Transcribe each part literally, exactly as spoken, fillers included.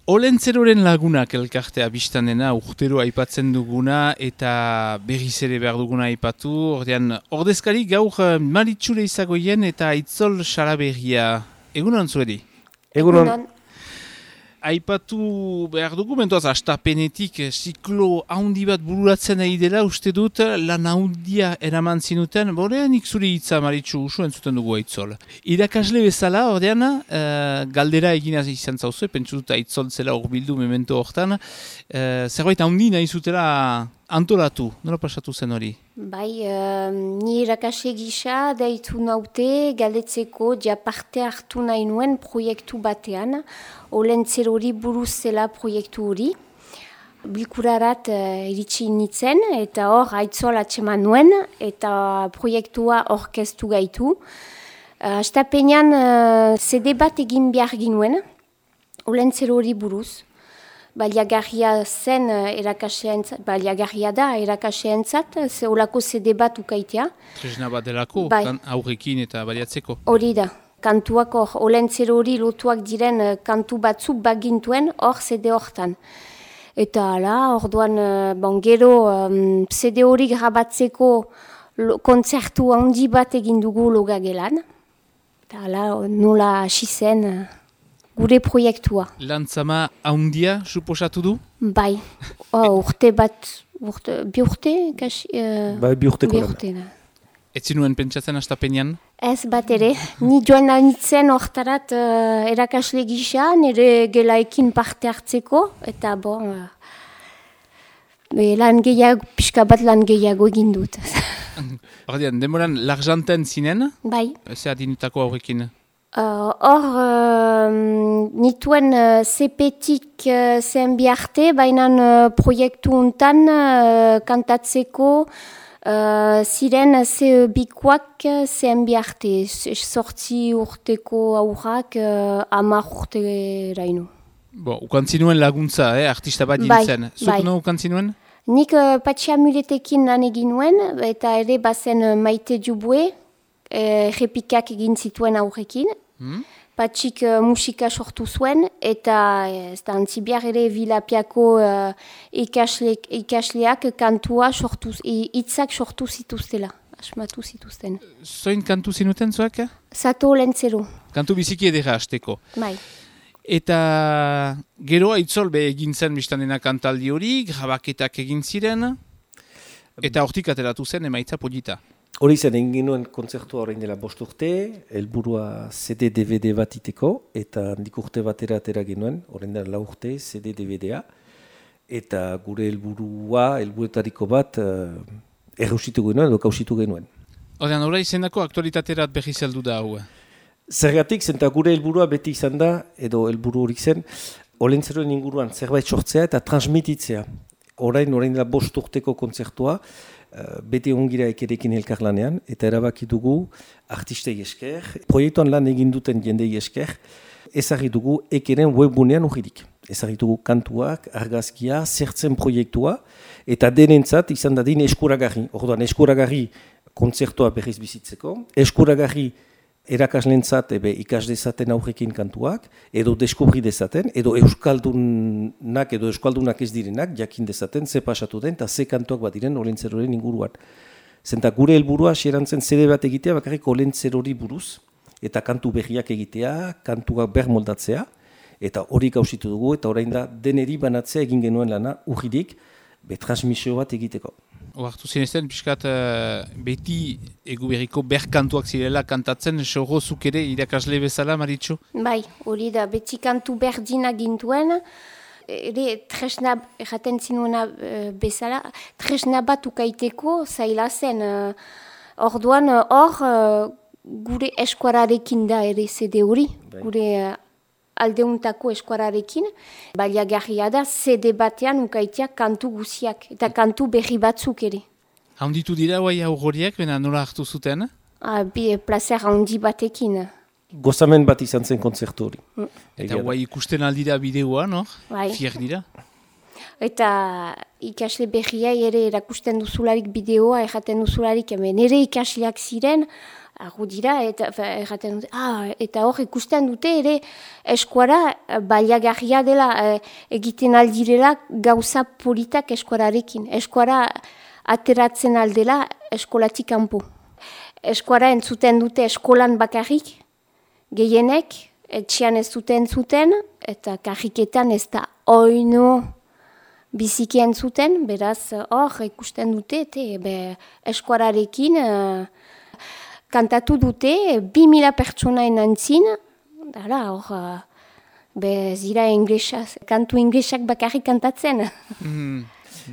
Olentzeroren lagunak elkartea biztan dena, urtero aipatzen duguna eta berriz ere behar duguna aipatu. Ordean, ordezkari gaur Maritxure izagoien eta Aitzol Salaberria. Egunon zuedi? Egunon. Aipatu behar dugu, mentoaz, astapenetik ziklo haundi bat bururatzen nahi dela, uste dut, lan haundia eraman zinuten, borean ikzuri hitza Maritxu usu entzuten dugu Aitzol. Irakasle bezala, ordean, uh, galdera eginaz izan zauzu, pentsu dut Aitzol zela hor bildu memento hortan, uh, zerbait haundi nahi zutela antolatu, nola pasatu zen hori? Bai, uh, ni irakasle gisa deitu naute galdetzeko ja parte hartu nahi nuen proiektu batean, Olentzerori buruz zela proiektu hori. Bilkurarat uh, iritsi nintzen eta hor Aitzol atseman nuen eta proiektua orkestu gaitu. Uh, Astapenean uh, zede bat egin behar ginuen, Olentzerori buruz. Baliagarria zen erakaseentzat, baliagarria da erakaseentzat, ze olako zede bat ukaitea. Tresna bat delako, bai. Aurrekin eta baliatzeko. Hori da, kantuak hor, Olentzero hori lotuak diren kantu batzuk bagintuen hor zede hortan. Eta hala, orduan, bon, gero um, zede hori grabatzeko lo, kontzertu handi bat egin dugu Logagelan. Eta hala, nola hasi zen gure proiektua. Lantzama haundia suposatu du? Bai, oh, urte bat, urte, bi urte? Kasi, uh, bai, bi urteko bi lan. urte, da. Ez zinuen pentsatzen astapenean? Ez bat ere, ni joan anitzen hortarat uh, erakasle gisa, nire gelaekin parte hartzeko, eta bon, uh, lan gehiago, pixka bat lan gehiago egin dut. Ordean, demoran l'arjanten zinen? Bai. Zer adinutako aurrekin? Hor, uh, uh, nituen uh, zepetik uh, zen biarte, baina uh, proiektu untan uh, kantatzeko uh, ziren ze bikoak zen biarte, sortzi urteko aurrak uh, amar urte raino. Bo, ukantzinuen laguntza, eh, artista bat Bai, dintzen. Zuk bai. no ukantzinuen? Nik uh, patxi amuletekin lan egin nuen, eta ere bazen uh, Maite Dubue, uh, repikak egin zituen aurrekin. Hmm? Patxik uh, musika sortu zuen, eta ez da antzibiar ere Vilapiako uh, ikasle, ikasleak kantua sortu, hitzak sortu zituztela, asmatu zituzten. Zoin kantu zinuten zuak? Zato Olentzero. Kantu biziki edera hasteko. Bai. Eta gero Aitzol be egin zen biztanena kantaldi hori, grabaketak egin ziren, eta hortik ateratu zen emaitza polita. Hori zen, egin genuen kontzertua orain dela bost urte, helburua C D D V D bat iteko, eta handik urte batera atera genuen, orain dela lau urte C D D V D A, eta gure helburua, helburuetariko bat, uh, errusitu genuen, edo kausitu genuen. Ordean, ora izendako aktualitaterat berri zeldu da hau. Zergatik, zenta gure helburua beti izan da, edo helburu horik zen, Olentzeroen inguruan zerbait sortzea eta transmititzea. Orain, orain dela bost urteko kontzertua, Uh, bete ongira ekerekin elkarlanean, eta erabaki dugu artistei esker, proiektuan lan egin duten jendei esker, ezagri dugu ekeren webgunean urridik. Ezagri dugu kantuak, argazkia, zertzen proiektua, eta denentzat izan dadin eskuragarri. Orduan, eskuragarri kontzertua berriz bizitzeko, eskuragarri erakaslentzat ebe ikas dezaten aurrekin kantuak, edo deskubri dezaten, edo euskaldunak edo euskaldunak ez direnak, jakin dezaten, ze pasatu den, eta ze kantuak bat diren Olentzeroren inguruan. Zenta gure helburua xerantzen zede bat egitea, bakarrik Olentzerori buruz, eta kantu berriak egitea, kantuak bermoldatzea, eta hori gauzitu dugu, eta orain da deneri banatzea egin genuen lana urridik, betransmisio bat egiteko. Oartu zinezten, pixkat uh, beti egu berriko berkantuak zirela kantatzen, sogo zuk ere irakasle bezala, Maritxu? Bai, hori da, beti kantu berdina gintuen, ere tresna, erraten zinuena uh, bezala, tresna bat ukaiteko zaila zen. Uh, orduan, hor, uh, gure eskuararekin da ere zede hori, bai. Gure uh, aldeuntako eskuararekin, baliagarria da, zede batean ukaitea kantu guziak, eta kantu berri batzuk ere. Haunditu dira guai aurroriak, bena nola hartu zuten? Ah, bi, placer handi batekin. Gozamen bat izan zen kontzertu hori. Mm. Eta guai ikusten aldira bideoa, no? Bai. Fier dira. Eta ikasle berriai ere erakusten duzularik bideoa, erraten duzularik, hemen ere ikasleak ziren, argu dira, eta erraten dute, ah, eta hor ikusten dute ere eskuara baliagarria dela, egiten aldirela gauza politak eskuararekin. Eskuara ateratzen aldela eskolatik kanpo. Eskuara entzuten dute eskolan bakarrik, gehienek, etxean ez duten entzuten, eta karriketan ez da oino biziki entzuten, beraz hor ikusten dute, eta eskuararekin, kantatu dute, bi mila pertsonaen antzin, dara, hor, be, zira inglesak, kantu inglesak bakarrik kantatzen. Mm.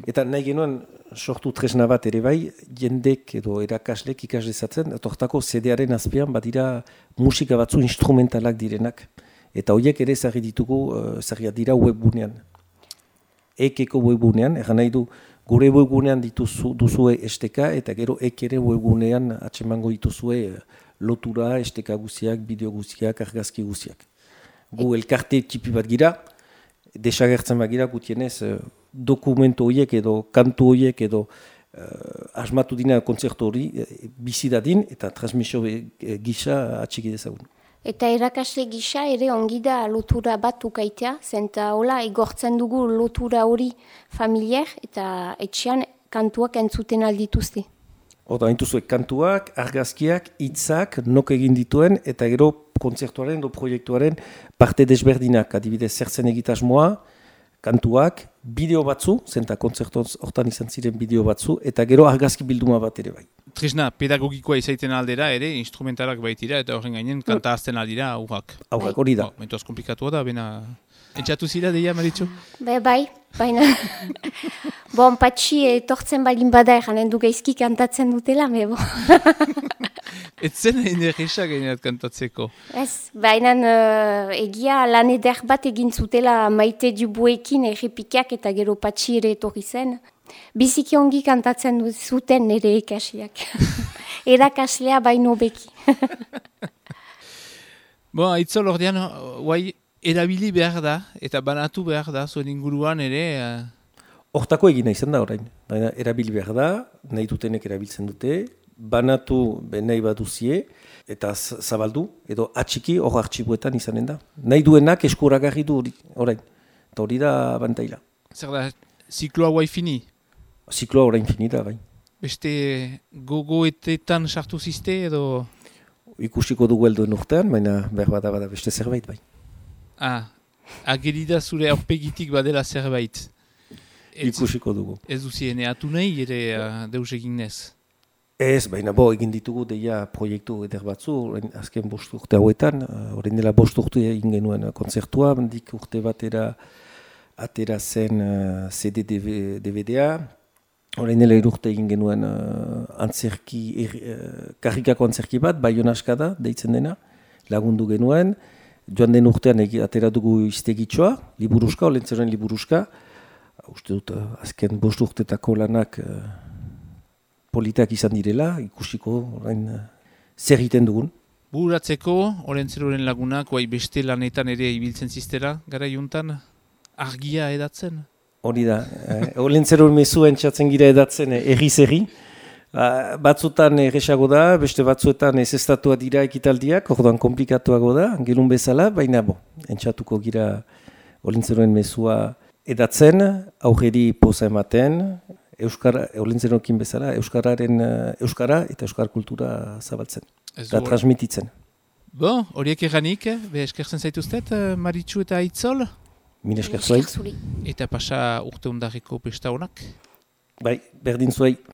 Eta nahi genuen sortu tresna bat ere bai, jendek edo erakaslek ikas dezatzen, tortako C D-aren azpian badira musika batzu instrumentalak direnak. Eta horiek ere ezagri ditugu, ezagriak dira webgunean. Ekeko webgunean, egan nahi du, gure webgunean dituzu, duzue esteka, eta gero ek ere webgunean atsemango dituzue lotura, esteka guziak, bideo guziak, argazki guziak. Gu elkarte tipi bat gira, desagertzen bat gira, gutienez dokumentu horiek edo kantu horiek edo uh, asmatu dina kontzertu hori bizi dadin eta transmisio gisa atxiki dezagun. Eta erakasle gisa ere ongi da lotura bat ukaitea, zenta hola igortzen dugu lotura hori familiar eta etxean kantuak entzuten aldituzte. Oda, entzuzuek kantuak, argazkiak, hitzak, nok egin dituen eta gero kontzertuaren edo proiektuaren parte desberdinak, adibidez zertzen egitasmoa, kantuak, bideo batzu, zenta kontzertoz hortan izan ziren bideo batzu, eta gero argazki bilduma bat ere bai. Tresna, pedagogikoa izaiten aldera ere, instrumentalak baitira, eta horren gainen kanta azten aldira aurrak. Aurrak, hori da. Oh, mentoaz komplikatua da, bena... Entxatu zira, deia, Maritxu? Be, bai, baina... bon, patxi etortzen balin bada eranen du gaizki kantatzen dutela, me bo. Ez zen energesa gaineat kantatzeko. Ez, baina uh, egia lan eder bat egin zutela Maite Dubuekin errepikak eta gero patxi ere etorri zen. Biziki ongi kantatzen zuten nire ikasiak. Erakaslea baino beki. Bon, aitzol ordean, guai, erabili behar da, eta banatu behar da, zuen inguruan ere... Hortako egina izan da orain. Erabili behar da, nahi dutenek erabiltzen dute, banatu nahi baduzie, eta zabaldu, edo atxiki hor artxibuetan izanen da. Nahi duenak eskuragarri du orain. Eta hori da bantaila. Zer da, zikloa guai fini? Zikloa orain fini da, bai. Beste gogoetetan sartu ziste edo... Ikusiko dugu helduen urtean, baina behar bada bada beste zerbait, bai. Ah, agerida zure aurpegitik badela zerbait. Ez, Ikusiko dugu. Ez duzien eatu nahi ere uh, deus egin nez? Ez, baina bo, egin ditugu deia proiektu eder batzu, azken bost urte hauetan, orain dela bost urte egin genuen kontzertua, dik urte batera atera zen uh, C D D V D A, orain dela irurte egin genuen uh, antzerki, er, uh, karrikako antzerki bat, Baionaskada deitzen dena, lagundu genuen, joan den urtean egi, atera dugu iztegitxoa, liburuska, olentzeroen liburuska, uste dut, uh, azken bost urtetako lanak uh, politak izan direla, ikusiko orain uh, zer egiten dugun. Bururatzeko, olentzeroen lagunak, guai beste lanetan ere ibiltzen ziztera, gara juntan, argia edatzen? Hori da, eh, olentzeroen mezu entzatzen gira edatzen erri-zerri. Uh, batzutan erresago da, beste batzuetan ez estatua dira ekitaldiak, orduan komplikatuago da, gerun bezala, baina bo, entzatuko gira olentzeroen mezua edatzen, aurreri poza ematen, Euskara, olentzeroekin bezala, Euskararen, Euskara eta Euskar kultura zabaltzen, eta transmititzen. Bo, horiek eranik, be eskertzen zaituztet, Maritxu eta Aitzol? Mil esker zuai. Eta pasa urte undarriko pesta honak? Bai, berdin zuai.